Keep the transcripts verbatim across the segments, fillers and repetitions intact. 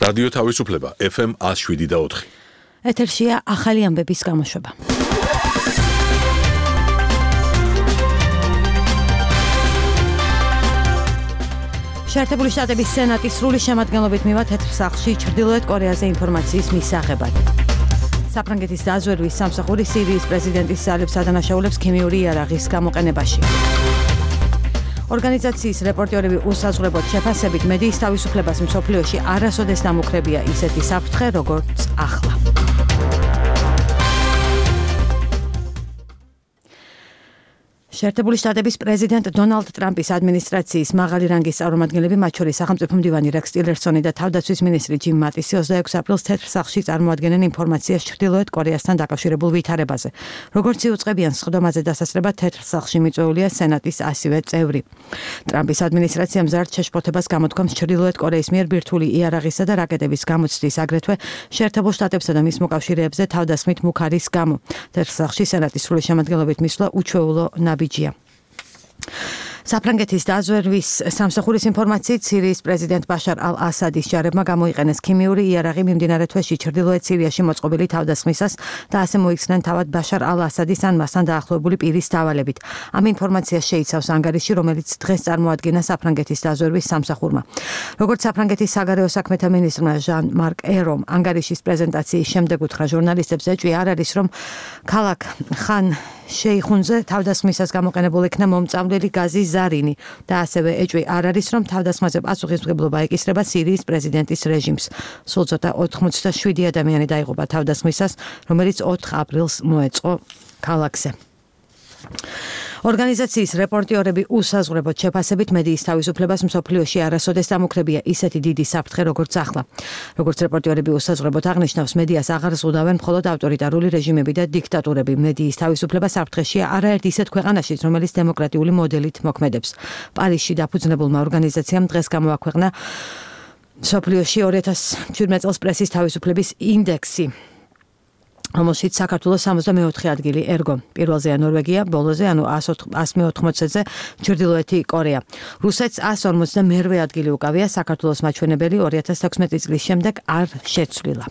რადიო თავისუფლება ეფ ემ one oh seven და four. ეთერშია ახალი ამბების გამოშვება. შეერთებული შტატების სენატის სრული შემადგენლობით მივა თეთრ სახლში ჩრდილოეთ კორეაზე ინფორმაციის მისაღებად. საფრანგეთის დაზვერვის სამსახური სირიის პრეზიდენტის ძალებს ადანაშაულებს ქიმიური იარაღის გამოყენებაში. ორგანიზაციის რეპორტიორები უსაზღვრებლად შეფასებით მედიის თავისუფლებას მსოფლიოში არასოდეს დამუქრებია ისეთი საფრთხე, როგორც ახლა. შეერთებული შტატების პრეზიდენტ დონალდ ტრამპის ადმინისტრაციის მაღალი რანგის წარმომადგენლები, მათ შორის სახელმწიფო მდივანი რეკს ტილერსონი და თავდაცვის მინისტრი ჯიმ მატისი ოცდაექვსი აპრილს თეთრ სახლში წარმოადგენენ ინფორმაციას ჩრდილოეთ კორეასთან დაკავშირებულ ვითარებაზე. როგორც იუწყებიან სხდომაზე დასასრება თეთრ სახლში მიწვეულია სენატის ასივე წევრი. ტრამპის ადმინისტრაცია მზარდ შეშფოთებას გამოთქვამს ჩრდილოეთ კორეის მიერ ბირთვული იარაღისა და რაკეტების გამოცდის, აგრეთვე შეერთებულ შტატებსა და მის მოკავშირეებზე თავდასხმით მუქარის გამო. თეთრ სახლში სენატის სრული შემადგენლობით მისვლა უჩვეულო ნაბიჯია. საფრანგეთის დაზვერვის სამსახურის ინფორმაციით სირიის პრეზიდენტ ბაშარ ალ-ასადის ჯარებმა გამოიყენეს ქიმიური იარაღი მიმდინარე თვეში ჩრდილოეთ სირიაში მოწყობილი თავდასხმისას და ასე მოიხსნენ თავად ბაშარ ალ-ასადის ან მასთან დაახლოებული პირის დავალებით. ამ ინფორმაციას შეიცავს ანგარიში, რომელიც დღეს წარმოადგინა საფრანგეთის დაზვერვის სამსახურმა. როგორც საფრანგეთის საგარეო საქმეთა მინისტრმა ჟან მარკ ერომ ანგარიშის პრეზენტაციის შემდეგ უთხრა ჟურნალისტებს, ეჭვი არ არის, რომ ქალაქ ხან შეიხუნზე თავდასხმისას გამოყენებულ იქნა მომწამლელი გაზის ზარინი და ასევე ეჭვი არ არის, რომ თავდასხმაზე პასუხისმგებლობა ეკისრება სირიის პრეზიდენტის რეჟიმს. სულ ცოტა ოცდაშვიდი ადამიანი დაიღუპა თავდასხმისას, რომელიც ოთხ აპრილს მოეწყო ქალაქზე. ორგანიზაციის რეპორტიორები უსაზღვრებლად შეფასებით მედიის თავისუფლებას მსოფლიოში არასოდეს დამუქრებია ისეთი დიდი საფრთხე, როგორც ახლა. როგორც რეპორტიორები უსაზღვრებლად აღნიშნავს, მედიას აღარ ზღუდავენ მხოლოდ ავტორიტარული რეჟიმები და დიქტატურები. მედიის თავისუფლება საფრთხეშია არაერთ ისეთ ქვეყანაშიც, რომელიც დემოკრატიული მოდელით მოქმედებს. პარიზში დაფუძნებულმა ორგანიზაციამ დღეს გამოაქვეყნა მსოფლიოში ორი ათას შვიდმეტ წელს პრესის თავისუფლების ინდექსი, რომელშიც საქართველოს სამოცდამეოთხე ადგილი ერგო. პირველზეა ნორვეგია, ბოლოზე, ანუ one meoთხმოცზე ჩრდილოეთი კორეა. რუსეთს one ორმოცდამერვე ადგილი უკავია, საქართველოს მაჩვენებელი ორი ათას თექვსმეტი წლის შემდეგ არ შეცვლილა.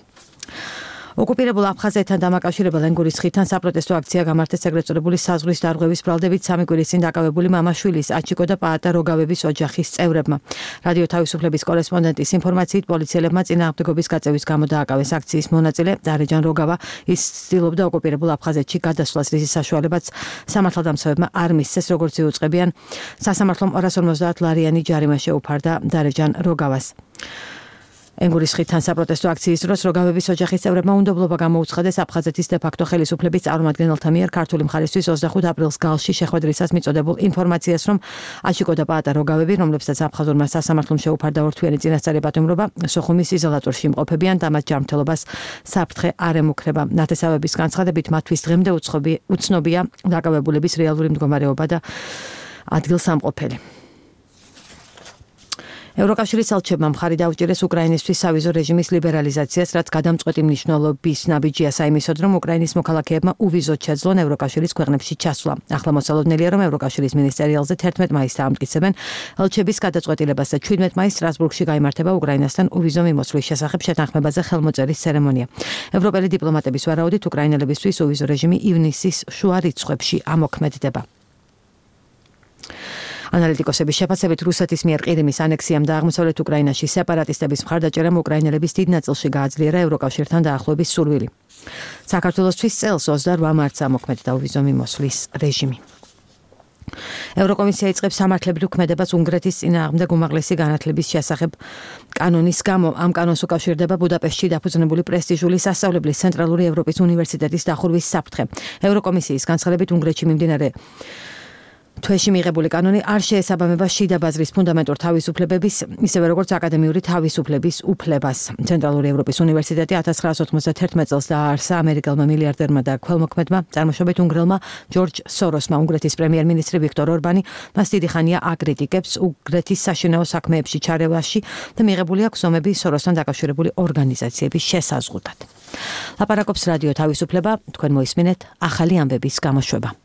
ოკუპირებულ აფხაზეთთან დამაკავშირებელ ენგურის ხიდთან საპროტესტო აქცია გამართეს ეგრეთ წოდებული საზღვრის დარღვევის ბრალდებით სამი კვირის წინ დაკავებული მამაშვილის, აჩიკო და პაატა როგავების ოჯახის წევრებმა. რადიო თავისუფლების კორესპონდენტის ინფორმაციით, პოლიციელებმა წინააღმდეგობის გაწევის გამო დააკავეს აქციის მონაწილე დარეჯან როგავა. ის ცდილობდა ოკუპირებულ აფხაზეთში გადასვლას, რის საშუალებაც სამართალდამცავებმა არ მისცეს, როგორც იუწყებიან. სასამართლომ ორას ორმოცდაათ ლარიანი ჯარიმა შეუფარდა დარეჯან როგავას. ენგურის ხიდთან საპროტესტო აქციის დროს როგავების ოჯახის წევრებმა უნდობლობა გამოუცხადეს აფხაზეთის დე-ფაქტო ხელისუფლების წარმომადგენელთა მიერ ქართული მხარისთვის ოცდახუთ აპრილს გალში შეხვედრისას მიწოდებულ ინფორმაციას, რომ აჩიკო და პაატა როგავები, რომლებსაც აფხაზურმა სასამართლომ შეუფარდა ორთვიანი წინასწარი პატიმრობა, სოხუმის იზოლატორში იმყოფებიან და მათ ჯანმრთელობას საფრთხე არ ემუქრება. ნათესავების განცხადებით, მათთვის დღემდე უცნობია დაკავებულების რეალური მდგომარეობა და ადგილსამყოფელი. ევროკავშირის ელჩებმა მხარი დაუჭირეს უკრაინისთვის სავიზო რეჟიმის ლიბერალიზაციას, რაც გადამწყვეტი მნიშვნელობის ნაბიჯია საიმისოდ, რომ უკრაინის მოქალაქეებმა უვიზოდ შეძლონ ევროკავშირის ქვეყნებში ჩასვლა. ახლა მოსალოდნელია, რომ ევროკავშირის მინისტერიალზე თერთმეტ მაისს დაამტკიცებენ ელჩების გადაწყვეტილებას და შვიდმეტ მაისს სტრასბურგში გაიმართება უკრაინასთან უვიზო მიმოსვლის შესახებ შეთანხმებაზე ხელმოწერის ცერემონია. ევროპელი დიპლომატების ვარაუდით, უკრაინელებისთვის უვიზო რეჟიმი ივნისის შუა რიცხვებში ამოქმედდება. ანალიტიკოსების შეფასებით, რუსეთის მიერ ყირიმის ანექსიამ და აღმოსავლეთ უკრაინაში სეპარატისტების მხარდაჭერამ უკრაინელების დიდ ნაწილში გააძლიერა ევროკავშირთან დაახლოების სურვილი. საქართველოსთვის წელს ოცდაორ მარტს ამოქმედდა უვიზო მიმოსვლის რეჟიმი. ევროკომისია იწყებს სამართლებრივ ქმედებას უნგრეთის წინააღმდეგ უმაღლესი განათლების შესახებ კანონის გამო. ამ კანონს უკავშირდება ბუდაპეშტში დაფუძნებული პრესტიჟული სასწავლებლის ცენტრალური ევროპის უნივერსიტეტის დახურვის საფრთხე. ევროკომისიის განცხადებით, უნგრეთში მიმდინარე თვეში მიღებული კანონი არ შეესაბამება შიდა ბაზრის ფუნდამენტურ თავისუფლებების, ისევე როგორც აკადემიური თავისუფლების უფლებას. ცენტრალური ევროპის უნივერსიტეტი ათას ცხრაასი ოცდაათი წელს დააარსა ამერიკელმა მილიარდერმა და ქველმოქმედმა, წარმოშობით უნგრელმა ჯორჯ სოროსმა. უნგრეთის პრემიერ-მინისტრი ვიქტორ ორბანი მას დიდი ხანია აკრიტიკებს უნგრეთის საშინაო საქმეებში ჩარევაში და მიღებული აქვს ომები სოროსთან დაკავშირებული ორგანიზაციების შესაზღვრად. ლაპარაკობს რადიო თავისუფლება, თქვენ მოისმინეთ ახალი ამბების გამოშვება.